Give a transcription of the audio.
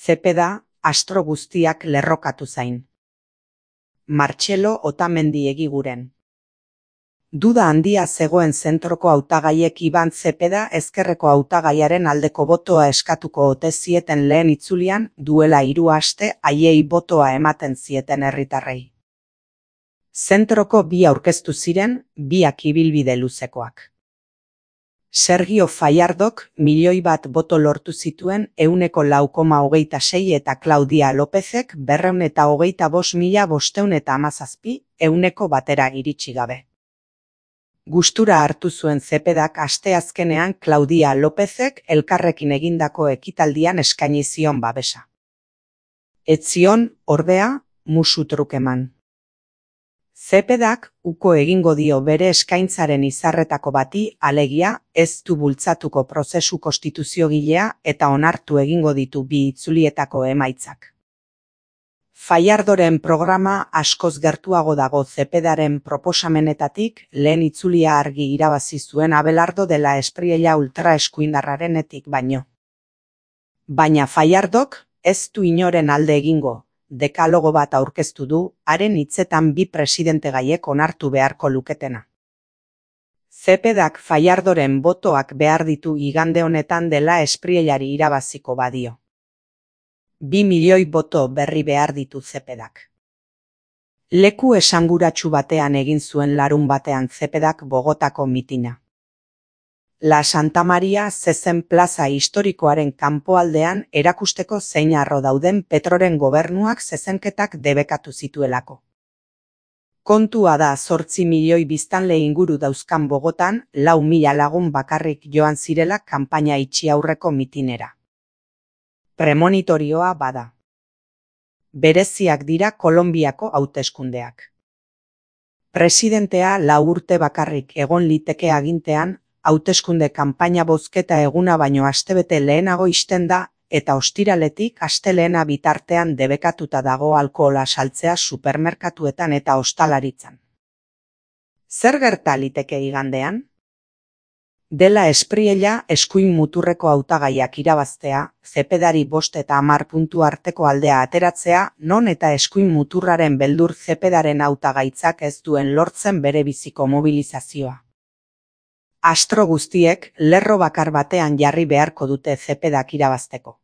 Zepeda, astro guztiak lerrokatu zain. Martxelo Otamendi Egiguren. Duda handia zegoen zentroko hautagaiek Iban Zepeda ezkerreko hautagaiaren aldeko botoa eskatuko ote zieten lehen itzulian, duela 3 aste haiei botoa ematen zieten herritarrei. Zentroko bi aurkeztu ziren, biak ibilbide luzekoak. Sergio Fallardok 1.000.000 boto lortu zituen 4,26 eta Claudia Lópezek 225.517 100% iritsi gabe. Gustura hartu zuen Zepedak asteazkenean Claudia Lópezek elkarrekin egindako ekitaldian eskaini zion babesa. Ez zion, ordea, musu truk eman. Zepedak uko egingo dio bere eskaintzaren izarretako bati, alegia, ez du bultzatuko prozesu konstituziogilea eta onartu egingo ditu bi itzulietako emaitzak. Fallardoren programa askoz gertuago dago Zepedaren proposamenetatik, lehen itzulia argi irabazi zuen Abelardo de la Espriella ultraeskuindarrarenetik baino. Baina Fallardok ez du inoren alde egingo, dekalogo bat aurkeztu du, haren hitzetan bi presidentegaiek onartu beharko luketena. Zepedak Fallardoren botoak behar ditu igande honetan de la Espriellari irabaziko badio. 2 milioi boto berri behar ditu Zepedak. Leku esanguratsu batean egin zuen larun batean Zepedak Bogotako mitina. La Santa Maria zezen plaza historikoaren kanpoaldean erakusteko zein harro dauden Petroren gobernuak zezenketak debekatu zituelako. Kontua da 8 milioi biztanle inguru dauzkan Bogotan 4.000 lagun bakarrik joan zirela kanpaina itxi aurreko mitinera. Premonitorioa bada. Bereziak dira Kolonbiako hauteskundeak. Presidentea 4 urte bakarrik egon liteke agintean, hauteskunde kanpaina bozketa eguna baino astebete lehenago ixten da, eta ostiraletik astelehena bitartean debekatuta dago alkohola saltzea supermerkatuetan eta ostalaritzan. Zer gerta liteke igandean? De la Espriella eskuin muturreko hautagaiak irabaztea, Zepedari 5 eta 10 puntu arteko aldea ateratzea, non eta eskuin muturraren beldur Zepedaren hautagaitzak ez duen lortzen bere biziko mobilizazioa. Astro guztiek lerro bakar batean jarri beharko dute Zepedak irabazteko.